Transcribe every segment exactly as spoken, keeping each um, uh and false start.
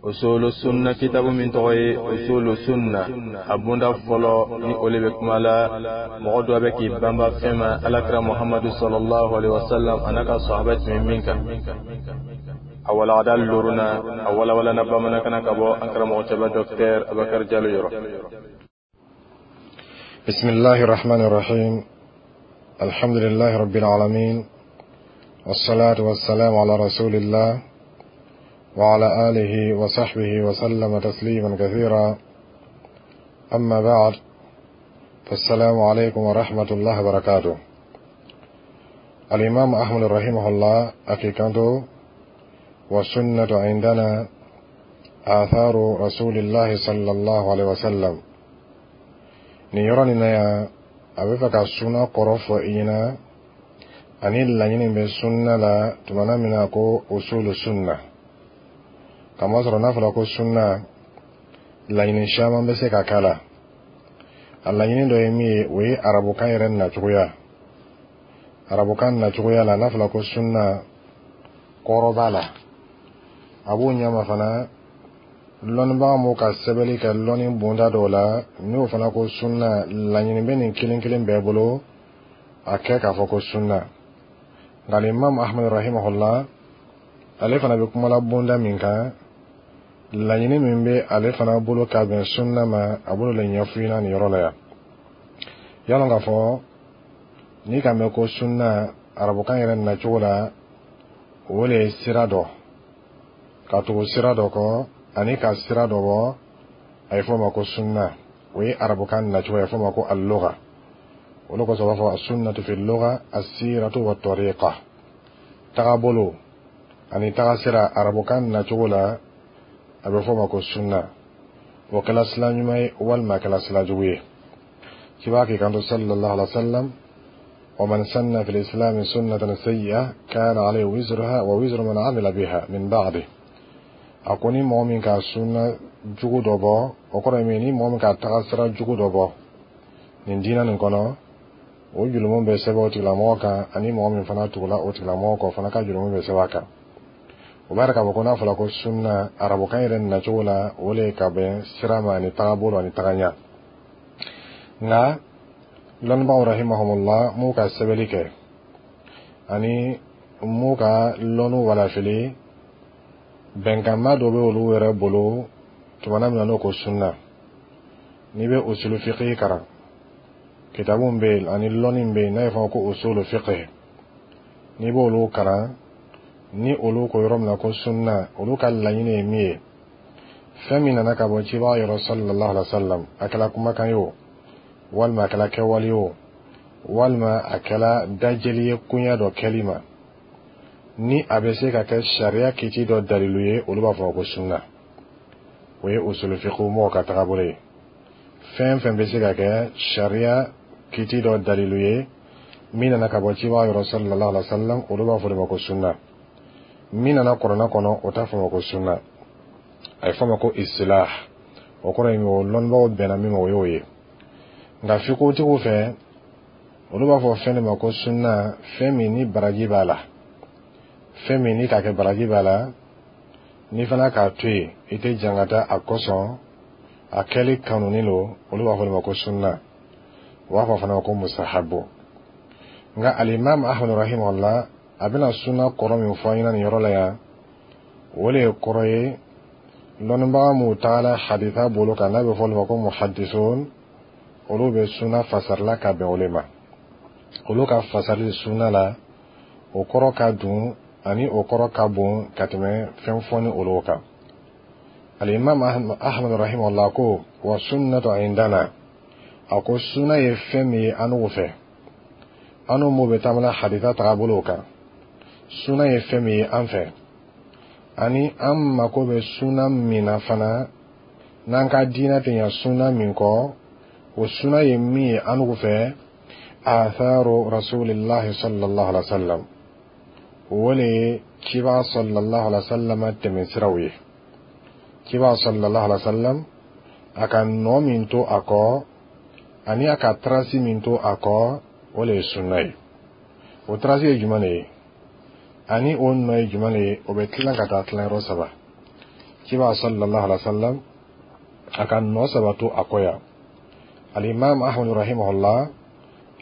Usulu Sunna kitabu min tɔgɔ ye Usulu Sunna, a bunda fɔlɔ ni o le bɛ kuma la mɔgɔ dɔ bɛ k'i banba fɛn ma Alakira Muhamadu sallallahu alaihi wasallam a n'a ka sahaba tun bɛ min kan. A walagada loruna, a walawalana bamanankan na ka bɔ an karamɔgɔ cɛba Docteur Abakar Jalo yɔrɔ. بسم الله الرحمن الرحيم، الحمد لله رب العالمين، والصلاة والسلام على رسول الله وعلى آله وصحبه وسلم تسليما كثيرا. أما بعد، فالسلام عليكم ورحمة الله وبركاته. الإمام أحمد رحمه الله a k'i kanto: والسنة عندنا آثار رسول الله صلى الله عليه وسلم. Nin yɔrɔ nin na yan, a bɛ fɛ ka sunna kɔrɔ fɔ i ɲɛna ani laɲini bɛ sunna la tumana min na ko usulu sunna. Kamasɔrɔ n'a fɔra ko sunna, laɲini caman bɛ se ka k'a la. A laɲini dɔ ye min ye, o ye arabukan yɛrɛ nacogoya. Arabukan nacogoya la, n'a fɔra ko sunna, kɔrɔ b'a la. A b'o ɲɛma fana, lɔnnibaga m'o ka sɛbɛnni kɛ lɔnni bonda dɔw la, n'o fana ko sunna, laɲini bɛ nin kelen kelen bɛɛ bolo a kɛ k'a fɔ ko sunna. Nka Imam Ahmad rahimahullah, ale fana bɛ kumala bonda min kan, laɲini min bɛ ale fana bolo ka bɛn sunna ma, a b'o de ɲɛfɔ i ɲɛna nin yɔrɔ la yan. Yalɔ k'a fɔ n'i ka mɛn ko sunna arabukan yɛrɛ nacogo la, o de ye sira dɔ ka tugu sira dɔ kɔ ani ka sira dɔ bɔ, a ye fɔ o ma ko sunna. O ye arabukan nacogo ye, a fɔ o ma ko al-lugha. Olu kosɔn u b'a fɔ as-sunnatu fi lugha as-siratu wa tariqa, tagabolo ani tagasira. Arabukan nacogo la, a bɛ fɔ o ma ko sunna. O kɛla sila ɲuman ye walima a kɛla sila jugu ye. Ciba k'i kanto sallallahu alaihi wa sallam: ومن سن في الإسلام سنة سيئة كان عليه وزرها ووزر من عمل بها من بعده. A ko ni mɔgɔ min ka sunna jugu dɔ bɔ, o kɔrɔ ye min, ni mɔgɔ min ka taga sira jugu dɔ bɔ nin diinɛ nin kɔnɔ, o julumu bɛ sɛbɛn o tigilamɔgɔ kan, ani mɔgɔ min fana tugula o tigilamɔgɔ kɔ fana ka julumu bɛ sɛbɛn a kan. O b'a yira k'a fɔ ko n'a fɔra ko sunna arabukan yɛrɛ nacogo la, o le ka bɛn sira ma ani tagabolo ani tagaɲa. Nka lɔnnibagaw rahimahumullah m'u ka sɛbɛnni kɛ ani m'u ka lɔnniw walafili, bɛnkanma dɔ bɛ olu yɛrɛ bolo tumana min na n'o ko sunna. N'i bɛ usulu fiqh kalan, kitabu bɛ yen ani lɔnni bɛ yen n'a ye fɔ ko usulu fiqh, n'i b'olu kalan, ni olu ko yɔrɔ min na ko sunna, olu ka laɲini ye min ye, fɛn min nana ka bɔ cibaga yɔrɔ sallallahu alaihi wa sallam, a kɛla kumakan ye o, walima a kɛla kɛwale ye o, walima a kɛla dajɛli ye koɲɛ dɔ kɛli ma, ni a bɛ se ka kɛ sariya kiti dɔ dalilu ye, olu b'a fɔ ko sunna. O ye usulu fiqh mɔgɔw ka tagabolo ye. Fɛn fɛn bɛ se ka kɛ sariya kiti dɔ dalilu ye min nana ka bɔ cibaga yɔrɔ sallallahu alaihi wa sallam, olu b'a fɔ de ma ko sunna. Min nana kuranɛ kɔnɔ, o t'a fɔ ma ko sunna, a ye fɔ ma ko istilah. O kɔrɔ ye min, o lɔnnibagaw bɛnna min ma, o y'o ye. Nka fiqhutigiw fɛ, olu b'a fɔ fɛn de ma ko sunna, fɛn min ni baraji b'a la, fɛn min ni k'a kɛ baraji b'a la, n'i fana k'a to yen, i tɛ jangata a kosɔn, a kɛli kanunen don, olu b'a fɔ de ma ko sunna. U b'a fɔ fana ko musahabu. Nka alimami Ahmad rahimahullah, a bɛna sunna kɔrɔ min fɔ an ɲɛna nin yɔrɔ la yan, o de ye kɔrɔ ye lɔnnibaga m'u tagala hadisa bolo kan, n'a bɛ fɔ olu ma ko muhadisun. Olu bɛ sunna fasarila ka bɛn o de ma. Olu ka fasarili sunna la, o kɔrɔ ka dun ani o kɔrɔ ka bon ka tɛmɛ fɛn fɔ ni olu kan. Alimam Ahmad rahimahullah ko: wa sunnatu indana, a ko sunna ye fɛn min ye an fɛ, an m'o bɛ taamana hadisa tagabolo kan, sunna ye fɛn min ye an fɛ, ani an mako bɛ sunna min na fana, n'an ka diinɛ tɛ ɲɛ sunna min kɔ, o sunna ye min ye an fɛ: atharu rasulillahi sallallahu alaihi wa sallam, o le ye ciba sallallahu alaihi wa sallam tɛmɛsiraw ye. Ciba sallallahu alaihi wa sallam, a ka nɔ min to a kɔ ani a ka trace min to a kɔ, o le ye sunna ye. O trace ye jumɛn de ye ani o nɔ ye jumɛn de ye? O bɛ tilan ka taa tilayɔrɔ saba. Ciba sallallahu alaihi wa sallam Ciba sallallahu alaihi wasallam a ka nɔ saba to a kɔ yan. Alimam Ahmad rahimahullah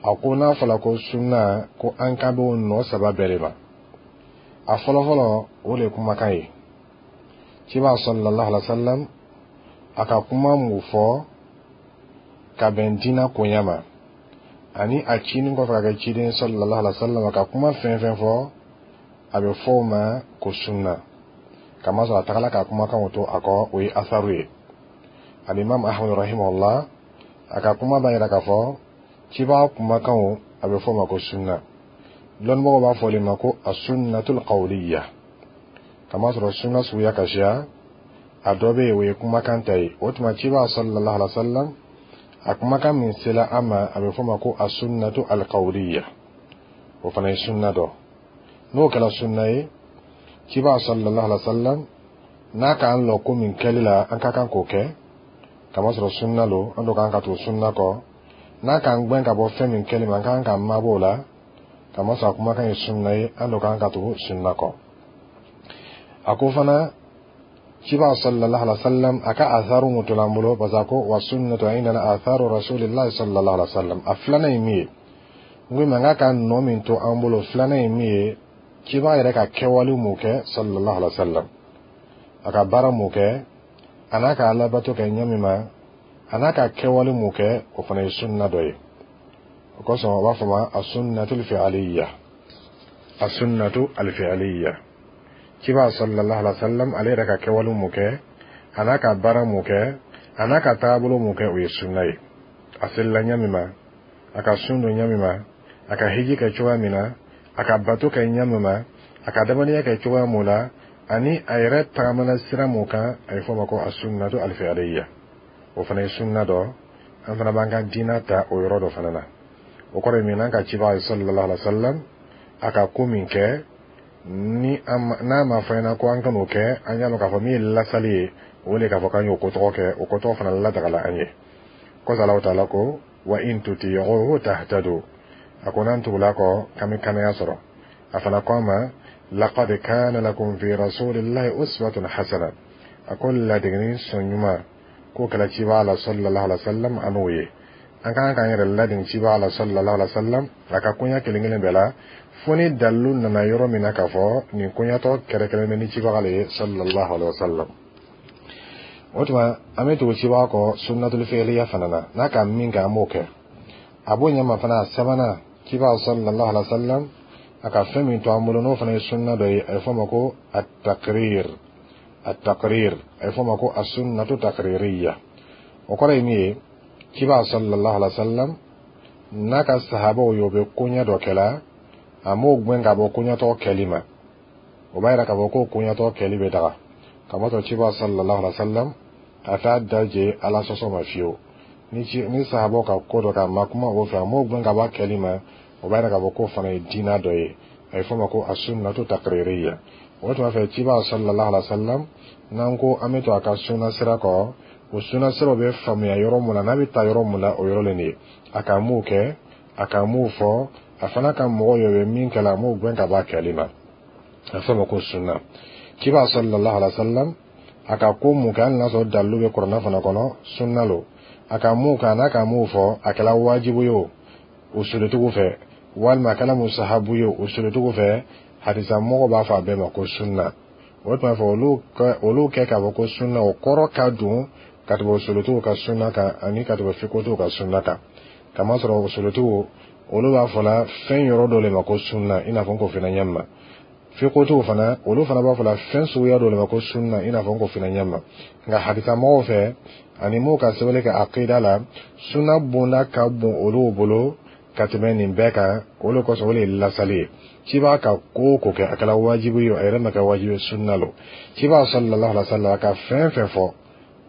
a ko n'a fɔra ko sunna, ko an kan b'o nɔ saba bɛɛ de ma. A fɔlɔfɔlɔ, o de ye kumakan ye. Ciba sallallahu alaihi wasallam a ka kuma mun fɔ ka bɛn diinɛ koɲɛ ma, ani a cinin kɔfɛ ka kɛ ciden sallallahu alaihi wasallam, a ka kuma fɛn fɛn fɔ, a bɛ fɔ o ma ko sunna, kamasɔrɔ a tagala ka kumakanw to a kɔ, o ye asaru ye. Alimam Ahmad rahimahullah a ka kuma b'a yira k'a fɔ ciba kumakanw, a bɛ fɔ o ma ko sunna. Lɔnnibagaw b'a fɔ o de ma ko asunnatul qawliya, kamasɔrɔ sunna suguya ka siya. A dɔ bɛ yen, o ye kumakan ta ye. O tuma ciba sallallahu alaihi wa sallam a kumakan min sera an ma, a bɛ fɔ o ma ko asunnatu alqawliya, o fana ye sunna dɔ. N'o kɛra sunna ye, ciba sallallahu alaihi wa sallam n'a k'an lɔ ko min kɛli la, an ka kan k'o kɛ, kamasɔrɔ sunna lo, an do kan ka tugu sunna kɔ. N'a k'an gbɛn ka bɔ fɛn min kɛli ma, an ka kan k'an mabɔ o la, kamasɔrɔ a kumakan ye sunna ye, an do kan ka tugu sunna kɔ. A ko fana ciba sallallahu alaihi wasallam a ka atharu mun tola an bolo, parce que a ko wa sunnatu indana atharu rasulillahi sallallahu alaihi wasallam. A filanan ye min ye, n ko ma n k'a ka nɔ min to an bolo, filanan ye min ye, ciba yɛrɛ ka kɛwale mun kɛ sallallahu alaihi wasallam, a ka baara mun kɛ, a n'a ka alabato kɛ ɲɛ min ma, a n'a ka kɛwale mun kɛ, o fana ye sunna dɔ ye. O kosɔn o b'a fɔ ma asunnatul fi'aliyya, asunnatu alfi'aliyya. Ciba sallallahu alaihi wasallam ale yɛrɛ ka kɛwale mun kɛ, a n'a ka baara mun kɛ, a n'a ka taabolo mun kɛ, o ye sunna ye. A selila ɲɛ min ma, a ka sun don ɲɛ min ma, a ka hiji kɛ cogoya min na, a ka bato kɛ ɲɛ min ma, a ka adamadenya kɛ cogoya mun la, ani a yɛrɛ tagamana sira mun kan, a ye fɔ o ma ko asunnatu alfi'aliyya. O fana ye sunna dɔ. An fana b'an ka diinɛ ta o yɔrɔ dɔ fana na. O kɔrɔ ye min, n'an ka ciba sallallahu alaihi wasallam a ka ko min kɛ, ni n'a ma fɔ ɲɛna ko an kan'o kɛ, an y'a lɔn k'a fɔ min ye lasali ye, o de k'a fɔ k'an y'o ko tɔgɔ kɛ, o ko tɔgɔ fana ladagala an ye. Kɔsa Alahu taala ko wa in tuti'uhu tahtadu, a ko n'an tugula kɔ, k'an bɛ kanaya sɔrɔ. A fana ko an ma laqad kana lakum fi rasulillahi uswatun hasana, a ko ladegeni sɔn ɲuman k'o kɛla ciba la sallallahu alaihi wasallam. An n'o ye, an kan k'an yɛrɛ ladege ciba la sallallahu alaihi wasallam a ka koɲa kelen kelen bɛɛ la, fo ni dalilu nana yɔrɔ min na k'a fɔ nin koɲatɔ kɛrɛkɛrɛn bɛ ni cibaga le ye sallallahu alaihi wasallam. O tuma an bɛ tugu cibaga kɔ sunnatul fi'liya fana na, n'a ka min kɛ, an b'o kɛ. A b'o ɲɛma fana. A sabanan, ciba sallallahu alaihi wasallam a ka fɛn min to an bolo, n'o fana ye sunna dɔ ye, a bɛ fɔ o ma ko at-taqrir. At-taqrir, a bɛ fɔ o ma ko as-sunnatu taqririyya. O kɔrɔ ye min ye, ciba sallallahu alaihi wasallam n'a ka sahabaw ye, o bɛ koɲɛ dɔ kɛla, a m'o gbɛn ka bɔ koɲɛtɔ kɛli ma. O b'a yira k'a fɔ ko koɲɛtɔ kɛli bɛ daga, kamasɔrɔ ciba sallallahu alaihi wasallam a t'a daje Ala sɔsɔ ma fiyewu. Ni ci ni sahabaw ka ko dɔ k'a ma kuma o fɛ, a m'o gbɛn ka bɔ a kɛli ma, o b'a yira k'a fɔ k'o fana ye diinɛ dɔ ye. A bɛ fɔ o ma ko as-sunnatu taqririyya. O tuma fɛ ciba sallallahu alaihi wasallam, n'an ko an bɛ to a ka sunna sira kɔ, o sunna siraw bɛ faamuya yɔrɔ mun na, n'a bɛ taa yɔrɔ mun na, o yɔrɔ le nin ye. A ka m'o kɛ, a ka m'o fɔ, a fana ka mɔgɔw ye, o bɛ min kɛ la, a m'o gbɛn ka bɔ a kɛli ma, a bɛ fɔ o ma ko sunna. Ciba sallallahu alaihi wasallam a ka ko mun kɛ, hali n'a sɔrɔ dalilu bɛ kuranɛ fana kɔnɔ, sunna lo. A ka mun kɛ, a n'a ka mun fɔ, a kɛla wajibu ye o usulutigiw fɛ, walima a kɛla musahabu ye o usulutigiw fɛ, hadisa mɔgɔw b'a fɔ a bɛɛ ma ko sunna. O tuma fɛ olu kɛ olu kɛ k'a fɔ ko sunna, o kɔrɔ ka don ka tɛmɛ usulutigiw ka sunna kan ani ka tɛmɛ fikotigiw ka sunna kan, kamasɔrɔ usulutigiw olu b'a fɔ la fɛn yɔrɔ dɔ le ma ko sunna, i n'a fɔ n k'o fana ɲɛ ma. Fikotigiw fana, olu fana b'a fɔ la fɛn suguya dɔ le ma ko sunna, i n'a fɔ n k'o fana ɲɛ ma. Nka hadisa mɔgɔw fɛ ani m'o ka sɛbɛnni kɛ akida la, sunna bonda ka bon olu bolo ka tɛmɛ nin bɛɛ kan. O de kosɔn o de ye lasali ye. Ciba ka ko o ko kɛ, a kɛra wajibi ye o, a yɛrɛ ma kɛ wajibi ye, sunna lo. Ciba sallallahu alaihi wa sallam a ka fɛn fɛn fɔ,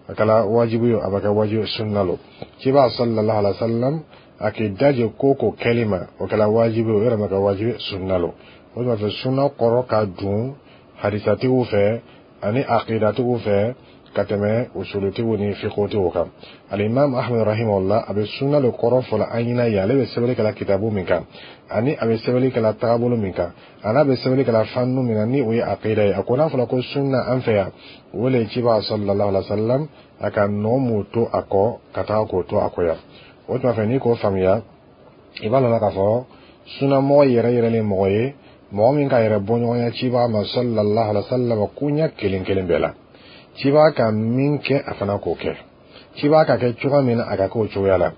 a kɛra wajibi ye o, a ma kɛ wajibi ye, sunna lo. Ciba sallallahu alaihi wa sallam a k'i daje ko ko kɛli ma, o kɛra wajibi ye o, yɛrɛ ma kɛ wajibi ye, sunna lo. O tuma fɛ sunna kɔrɔ ka dun hadisatigiw fɛ ani akidatigiw fɛ. Ka tɛmɛ usulutigiw ni fiqhutigiw kan. Alimam Ahmad rahimahullah, a bɛ sunna le kɔrɔ fɔla an ɲɛna yen. Ale bɛ sɛbɛnni kɛla kitabu min kan, ani a bɛ sɛbɛnni kɛla tagabolo min kan, ani a bɛ sɛbɛnni kɛla fannu min kan, ni o ye aqida ye, a ko n'a fɔra ko sunna an fɛ yan, o le ye ciba sallallahu alaihi wa sallam a ka nɔ mun to a kɔ ka taga k'o to a kɔ yan. O tuma fɛ, n'i k'o faamuya, i b'a lɔn k'a fɔ sunnamɔgɔ yɛrɛ yɛrɛ le mɔgɔ ye, mɔgɔ min ka yɛrɛ bɔɲɔgɔnya ciba ma sallallahu alaihi wa sallam koɲɛ kelen kelen bɛɛ la. Ciba ka min kɛ, a fana k'o kɛ. Ciba ka kɛ cogoya min na, a ka kɛ o cogoya la.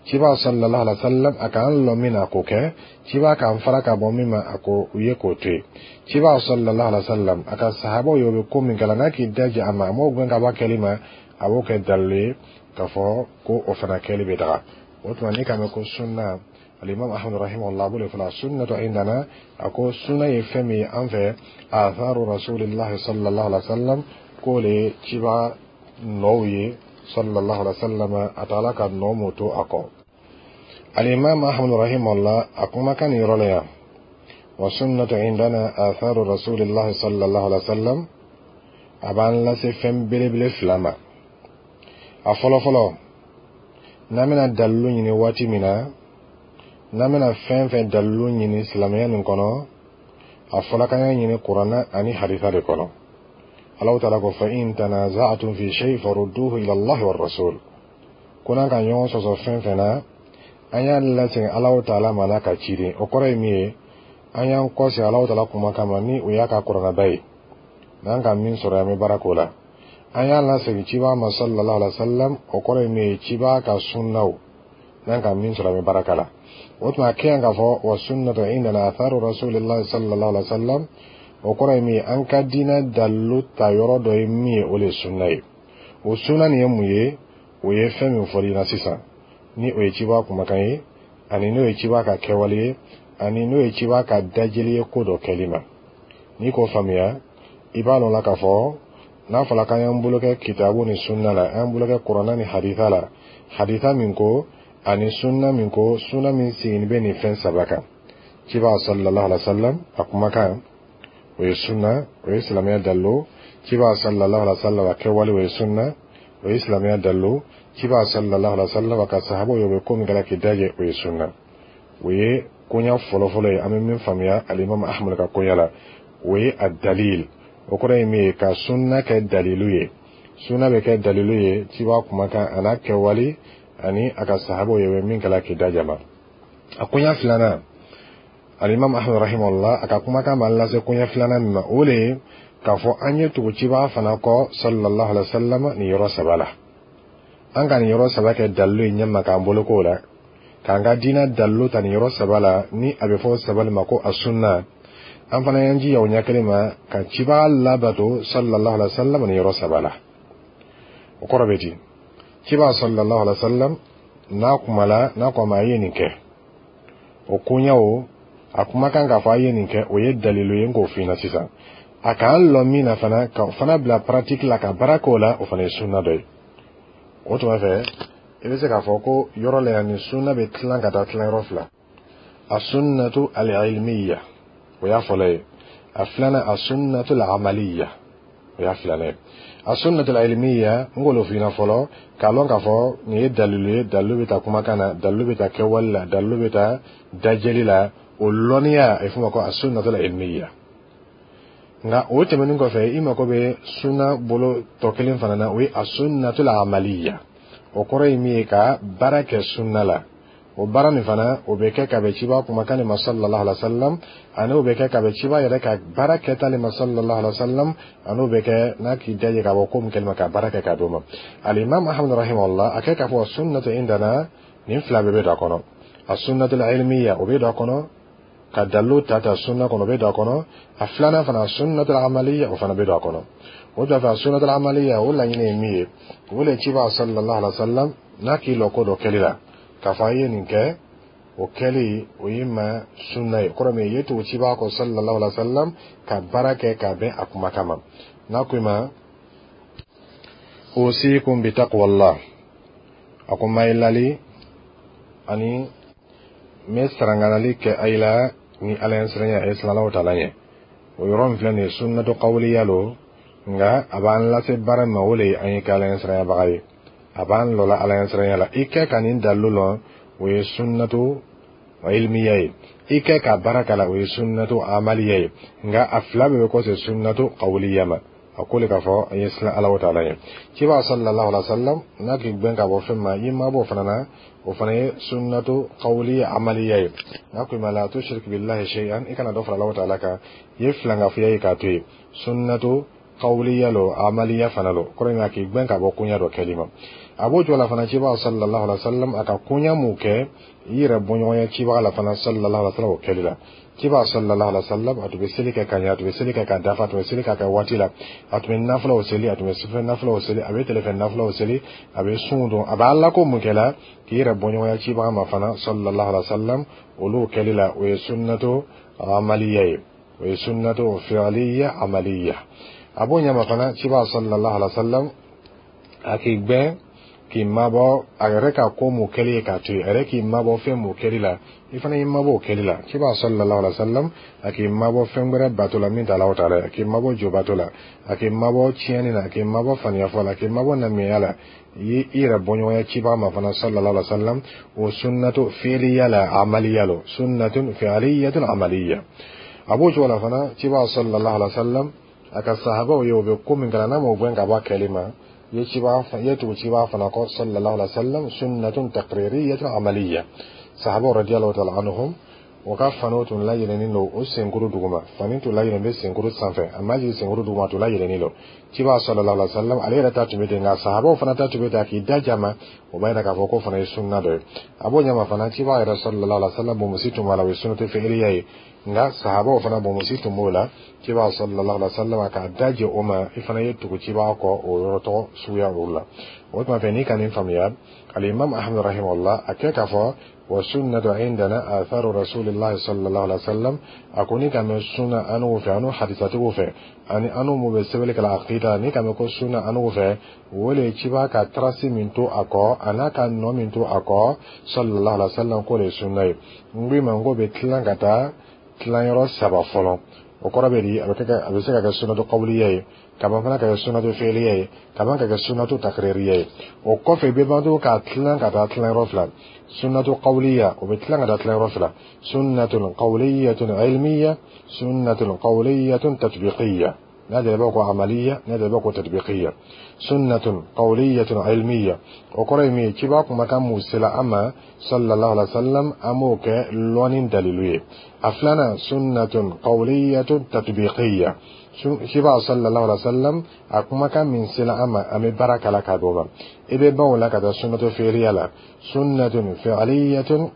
Ciba sallallahu alaihi wa sallam a k'an lɔ min na, a k'o kɛ. Ciba k'an fara ka bɔ min ma, a ko u ye k'o to yen. Ciba sallallahu alaihi wa sallam a ka sahabaw ye, o bɛ ko min kɛ la, n'a k'i daji a ma, a m'o gɛn ka bɔ a kɛli ma, a b'o kɛ dalilu ye k'a fɔ ko o fana kɛli bɛ daga. O tuma, n'i k'a mɛn ko sunna, alimam Ahmad rahimahullah b'o de fɔla sunnatu indana. A ko sunna ye fɛn min ye an fɛ, atharu rasulillahi sallallahu alaihi wa sallam, k'o le ye ciba nɔw ye sallallahu alaihi wa sallam, a taala ka nɔ mun to a kɔ. Alimam Ahmad rahimahullah a kumakan nin yɔrɔ la yan, wa sunnatu indana atharu rasulillahi sallallahu alaihi wa sallam, a b'an lase fɛn belebele fila ma. A fɔlɔ fɔlɔ, n'an bɛna dalilu ɲini waati min na, n'an bɛna fɛn fɛn dalilu ɲini silamɛya nin kɔnɔ, a fɔla k'an y'a ɲini Kuranna ani hadisa de kɔnɔ. Alahu taala ko: fa in tanaza'tum fi shay farudduhu ila Allahi war rasul. Ko n'an ka ɲɔgɔn sɔsɔ fɛn fɛn na, an y'a lasegin Alahu taala ma n'a ka ciden. O kɔrɔ ye min ye, an y'an kɔsegin Alahu taala kumakan ma, ni o y'a ka kuranaba ye. N'an ka min sɔrɔ, an bɛ baara k'o la. An y'a lasegin ciba ma sallallahu alaihi wa sallam, o kɔrɔ ye min ye, ciba ka sunnaw, n'an ka min sɔrɔ, an bɛ baara k'a la. O tuma, a kɛ yan k'a fɔ wa sunnatu indana atharu rasulillahi sallallahu alaihi wa sallam, o kɔrɔ ye min ye, an ka diinɛ dalilu ta yɔrɔ dɔ ye min ye, o de ye sunna ye. O sunna nin ye mun ye? O ye fɛn min fɔl'i ɲɛna sisan, ni o ye ciba kumakan ye, ani n'o ye ciba ka kɛwale ye, ani n'o ye ciba ka dajeli ye ko dɔ kɛli ma. N'i k'o faamuya, i b'a lɔn la k'a fɔ n'a fɔra k'an y'an bolo kɛ kitabu ni sunna la, an y'an bolo kɛ kuranna ni hadisa la, hadisa min ko ani sunna min ko, sunna min sigilen bɛ nin fɛn saba kan: ciba sallallahu alaihi wa sallam a kumakan, o ye sunna, o ye silamɛya dalilu; ciba sallallahu alaihi wa sallam a kɛwale, o ye sunna, o ye silamɛya dalilu; ciba sallallahu alaihi wa sallam a ka sahabaw ye, o bɛ ko min kɛra k'i dajɛ, o ye sunna. O ye koɲa fɔlɔfɔlɔ ye an bɛ min faamuya alimami Ahmad ka koɲa la, o ye a dalil. O kɔrɔ ye min ye, ka sunna kɛ dalilu ye. Sunna bɛ kɛ dalilu ye ciba kumakan a n'a kɛwale ani a ka sahabaw ye, o bɛ min kɛla k'i dajɛ ma. A koɲa filanan, alimami Ahmad rahimahullah a ka kumakan b'an lase koɲɛ filanan min ma, o le ye k'a fɔ an ye tugu ciba fana kɔ sallallahu alaihi wa sallam nin yɔrɔ saba la. An ka nin yɔrɔ saba kɛ dalilu ye ɲɛma k'an bolo k'o la, k'an ka diinɛ dalilu ta nin yɔrɔ saba la, ni a bɛ fɔ saba ma ko a sunna. An fana y'an jija o ɲɛ kelen ma ka cibaga labato sallallahu alaihi wa sallam nin yɔrɔ saba la. O kɔrɔ bɛ di? Ciba sallallahu alaihi wa sallam n'a kumala, n'a ko a ma a ye nin kɛ, o koɲɛ o a kumakan k'a fɔ a ye nin kɛ, o ye dalilu ye. N k'o f'i ɲɛna sisan, a k'an lɔ min na fana, ka fana bila pratique la, ka baara k'o la, o fana ye sunna dɔ ye. O tuma fɛ, i bɛ se k'a fɔ ko yɔrɔ la yan, nin sunna bɛ tilan ka taa tilan yɔrɔ fila: a sunnatu al-ilmiya, o y'a fɔlɔ ye; a filanan, a sunnatu al-amaliya, o y'a filanan ye. A sunnatu al-ilmiya, n k'o f'i ɲɛna fɔlɔ, k'a lɔn k'a fɔ nin ye dalilu ye. Dalilu bɛ taa kumakan na, dalilu bɛ taa kɛwale la, dalilu bɛ taa dajɛli la. O lɔnniya, a bɛ f'o ma ko a sunnatu al-ilmiya. Nka o tɛmɛnen kɔfɛ, i mako bɛ sunna bolo tɔ kelen fana na, o ye a sunnatu al-amaliya. O kɔrɔ ye min ye, ka baara kɛ sunna la. O baara nin fana, o bɛ kɛ ka bɛn ciba kumakan de ma sallallahu alaihi wa sallam, ani o bɛ kɛ ka bɛn ciba yɛrɛ ka baara kɛta de ma sallallahu alaihi wa sallam, ani o bɛ kɛ n'a k'i daje ka bɔ ko min kɛli ma, ka baara kɛ k'a d'o ma. Alimami Ahmad rahimahullah a kɛ k'a fɔ sunnatu indana, nin fila bɛɛ bɛ don a kɔnɔ: a sunnatu ilmiya, o bɛ don a kɔnɔ, ka dalilu ta ta sunna kɔnɔ, o bɛ don a kɔnɔ; a filanan fana, sunnatu amaliya, o fana bɛ don a kɔnɔ. O da fɛ, a sunnatu amaliya, o laɲini ye min ye, o le ciba sallallahu alaihi wa sallam n'a k'i lɔ ko dɔ kɛli la, k'a fɔ a ye nin kɛ, o kɛli o ye ma sunna ye. Kɔrɔ min ye, tugu ciba kɔ sallallahu alaihi wa sallam ka baara kɛ k'a bɛn a kumakan ma. N'a ko i ma usikum bi taqwallah, a ko ma ye lali ani n bɛ saranganali kɛ a yi la ni Ala ɲɛ siranya ye, siran Alahu taala ɲɛ. O yɔrɔ min filɛ nin ye, sunnatu qawliya lo. Nka a b'an lase baara ma, o le ye an ye kɛ Ala ɲɛsiranyabaga ye, a b'an lɔla Ala ɲɛsiranya la. I kɛ ka nin dalilu lɔn, o ye sunnatu ilmiya ye. I kɛ ka baara k'a la, o ye sunnatu amaliya ye. Nka a fila bɛɛ bɛ kɔsegin sunnatu qawliya ma. A ko le k'a fɔ an ye siran Ala taala ye. Ciba sallallahu alaihi wa sallam n'a k'i gbɛn ka bɔ fɛn ma, i ma bɔ fana na, o fana ye sunnatu qawliya amaliya ye. N'a ko i ma la tushrik billahi shay'an, i kana dɔ fara Ala taala kan, i ye filankafoya ye k'a to yen, sunnatu qawliya lo, amaliya fana lo. Kɔrɔ ye k'i gbɛn ka bɔ koɲa dɔ kɛli ma. A b'o cogo la fana, ciba sallallahu alaihi wa sallam a ka koɲa mun kɛ, i yɛrɛ bɔɲɔgɔnya cibaga la fana sallallahu alaihi wa sallam o kɛli la. Ciba sallallahu alaihi wa sallam a tun bɛ seli kɛ ka ɲɛ, a tun bɛ seli kɛ ka dafa, a tun bɛ seli k'a kɛ waati la, a tun bɛ nafilaw seli, a tun bɛ sufɛ nafilaw seli, a bɛ tilefɛ nafilaw seli, a bɛ sun don, a bɛ Ala ko mun kɛ la k'i yɛrɛ bɔɲɔgɔnya cibaga ma fana sallallahu alaihi wa sallam, olu kɛli la, o ye sunnatu amaliya ye, o ye sunnatu fi'liya amaliya. A b'o ɲɛma fana, ciba sallallahu alaihi wa sallam a k'i gbɛn k'i mabɔ a yɛrɛ ka ko mun kɛli ye k'a to yen, a yɛrɛ k'i mabɔ fɛn mun kɛli la, i fana y'i mabɔ o kɛli la. Ciba sallallahu alaihi wa sallam a k'i mabɔ fɛn wɛrɛ bato la min tɛ Alahu taala ye, a k'i mabɔ jo bato la, a k'i mabɔ tiɲɛni na, a k'i mabɔ faniyafɔ la, a k'i mabɔ namiya la. I ye i yɛrɛ bɔɲɔgɔnya cibaga ma fana sallallahu alaihi wa sallam, o sunnatu fi'liya la, amaliya lo, sunnatun fi'liyatun amaliya. A b'o cogo la fana, ciba sallallahu alaihi wa sallam a ka sahabaw ye, o bɛ ko min kɛra n'a m'o gɛn ka bɔ a kɛli ma, ye ciba ye tugu ciba fana kɔ sallallahu alaihi wa sallam, sunnatun taqririyatun amaliya. Sahabaw radiyallahu ta'ala anhum, o ka faniw tun layɛlɛnnen don o senkuru duguma, fani tun layɛlɛn bɛ senkuru sanfɛ, a ma jigin senkuru duguma, tun layɛlɛnnen don. Ciba sallallahu alaihi wa sallam ale yɛrɛ ta tun bɛ ten, nka sahabaw fana ta tun bɛ ten. A k'i da jama, o b'a yira k'a fɔ k'o fana ye sunna dɔ ye. A b'o ɲɛma fana, ciba yɛrɛ sallallahu alaihi wa sallam bonmosi tun b'a la, o ye sunnatu fi'liya ye. Nka sahabaw fana bonmosi tun b'o la, ciba sallallahu alaihi wa sallam k'a da jɛ o ma, i fana ye tugu ciba kɔ o yɔrɔ tɔgɔ suguya olu la. O tuma fɛ, n'i ka nin faamuya, alimam Ahmad rahimahullah a kɛ k'a fɔ wa sunnatu indana atharu rasulillahi sallallahu alaihi wasallam, a ko ni ka mɛn sunna anugu fɛ, anu hadisatigiw fɛ, ani anu mu bɛ sɛbɛnni kɛla aqida, ni ka mɛn ko sunna anugu fɛ, o le ciba ka trace min to a kɔ, a n'a ka nɔ min to a kɔ sallallahu alaihi wasallam, k'o de ye sunna ye. N ko i ma n k'o bɛ tilan ka taa tilanyɔrɔ saba fɔlɔ. O kɔrɔ bɛ di? A bɛ kɛ, a bɛ se ka kɛ sunnatu qawliya ye, ka ban fana ka kɛ sunnatu fi'liya ye, ka ban ka kɛ sunnatu takririya ye. O kɔfɛ, i bɛ ban to k'a tilan ka taa tilanyɔrɔ fila. Sunnatu qawliya, o bɛ tilan ka taa tilanyɔrɔ fila: sunnatun qawliyatun ilmiya, sunnatun qawliyatun tatbiqiyya. N'a jɛra, i b'a ko amaliya, n'a jɛra, i b'a ko tatbiqiyya. Sunnatun qawliyatun ilmiya, o kɔrɔ ye min ye? Ciba kumakan mun sela an ma sallallahu alaihi wa sallam, an b'o kɛ lɔnni dalilu ye. A filanan, sunnatun qawliyatun tatbiqiyya, ciba sallallahu alaihi wa sallam a kumakan min sela an ma, an bɛ baara k'a la k'a d'o ma. I bɛ ban o la ka taa sunnatu fi'liya la, sunnatun fi'liyatun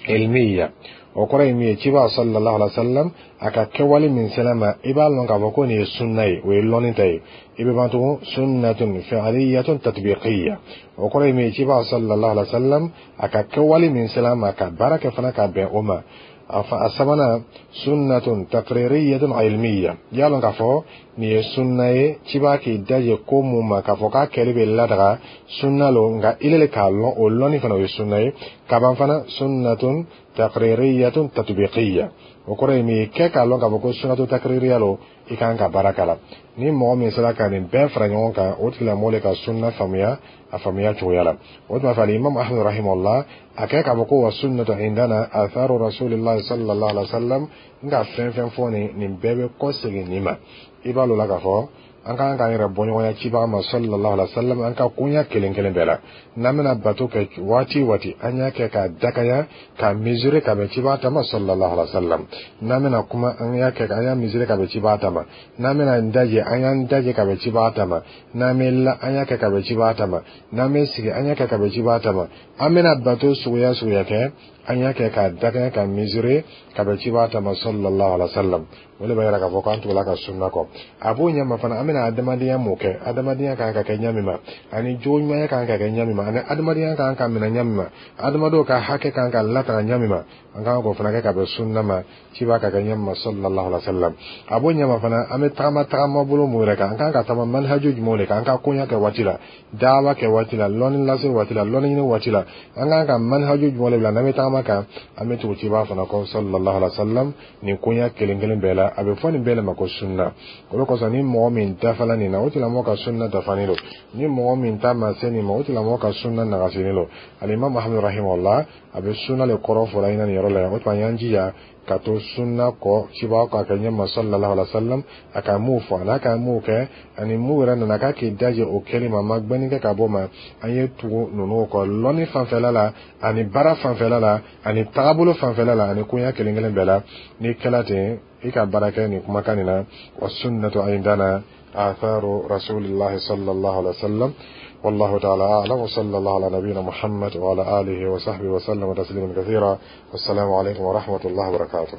ilmiya. O kɔrɔ ye min ye? Ciba sallallahu alaihi wa sallam a ka kɛwale min sela ma, i b'a lɔn k'a fɔ ko nin ye sunna ye, o ye lɔnni ta ye. I bɛ ban tugun, sunnatun fi'liyatun tatbiqiyya, o kɔrɔ ye min ye? Ciba sallallahu alaihi wa sallam a ka kɛwale min sela ma, ka baara kɛ fana ka bɛn o ma. A sabanan, sunnatun taqririyatun ilmiya, i y'a lɔn k'a fɔ nin ye sunna ye, ciba k'i daje ko mun ma k'a fɔ k'a kɛli bɛ ladaga, sunna lo, nka ile le k'a lɔn, o lɔnni fana o ye sunna ye. Ka ban fana, sunnatun taqririyatun tatbiqiyya, o kɔrɔ ye min ye? Kɛ k'a lɔn k'a fɔ ko sunnatu taqririya lo, i kan ka baara k'a la. Ni mɔgɔ min sera ka nin bɛɛ fara ɲɔgɔn kan, o tigilamɔgɔ le ka sunna faamuya a faamuya cogoya la. O tuma fɛ, alimam Ahmad rahimahullah a kɛ k'a fɔ ko wa sunnatu indana atharu rasulillahi sallallahu alaihi wa sallam, n ka fɛn fɛn fɔ nin, nin bɛɛ bɛ kɔsegin nin ma. I b'a lɔn la k'a fɔ an kan k'an yɛrɛ bɔɲɔgɔnya cibaga ma sallallahu alaihi wa sallam an ka koɲa kelen kelen bɛɛ la. N'an bɛna bato kɛ waati waati, an y'a kɛ k'a dakaya, k'a mesurer ka bɛn cibaga ta ma sallallahu alaihi wa sallam. N'an bɛna kuma, an y'a kɛ, an y'a mesurer ka bɛn cibaga ta ma. N'an bɛna n dajɛ, an y'an dajɛ ka bɛn cibaga ta ma. N'an bɛ la, an y'a kɛ ka bɛn cibaga ta ma. N'an bɛ sigi, an y'a kɛ ka bɛn cibaga ta ma. An bɛna bato suguya suguya kɛ, an y'a kɛ k'a dakaya, ka mesurer ka bɛn cibaga ta ma sallallahu alaihi wa sallam. O de b'a yira k'a fɔ k'an tugula ka sunna kɔ. A b'o ɲɛma fana, an bɛna adamadenya mun kɛ, adamadenya kan ka kɛ ɲa min ma, ani jogo ɲumanya kan ka kɛ ɲa min ma, ani adamadenya kan ka minɛ ɲa min ma, adamadenw ka hakɛ kan ka lataga ɲa min ma, an kan k'o fana kɛ ka bɛn sunna ma, ciba ka kɛ ɲa min ma sallallahu alaihi wa sallam. A b'o ɲɛma fana, an bɛ tagama tagama bolo mun yɛrɛ kan, an kan ka taama manhaju jumɛnw de kan, an ka koɲa kɛ waati la, dawa kɛ waati la, lɔnni lase waati la, lɔnni ɲini waati la, an kan ka manhaju jumɛnw de bila n'an bɛ tagama kan, an bɛ tugu ciba fana kɔ sallallahu alaihi wa sallam nin koɲa kelen kelen bɛɛ la. la. A bɛ fɔ nin bɛɛ le ma ko sunna. O de kosɔn, ni mɔgɔ min dafala nin na, o tigilamɔgɔ ka sunna dafanen don. Ni mɔgɔ min ta ma se nin ma, o tigilamɔgɔ ka sunna nagasinen don. Alimami Muhamadu rahimahullah, a bɛ sunna le kɔrɔ fɔla ɲɛna nin yɔrɔ la yan. O tuma, an y'an jija ka to sunna kɔ cibaga k'a kɛ ɲɛma sallallahu alaihi wa sallam, a ka mun fɔ, a n'a ka mun kɛ, ani mun yɛrɛ nana k'a k'i daje o kɛli ma, ma gbɛnni kɛ ka bɔ ma. An ye tugu ninnu kɔ lɔnni fanfɛla la, ani baara fanfɛla la, ani tagabolo fanfɛla la, ani koɲa kelen kelen bɛɛ la. N'i kɛla ten, i ka baara kɛ nin kumakan nin na: wa sunnatu indana atharu rasulillahi sallallahu alaihi wa sallam. والله تعالى أعلم، وصلى الله على نبينا محمد وعلى آله وصحبه وسلم تسليما كثيرا، والسلام عليكم ورحمة الله وبركاته.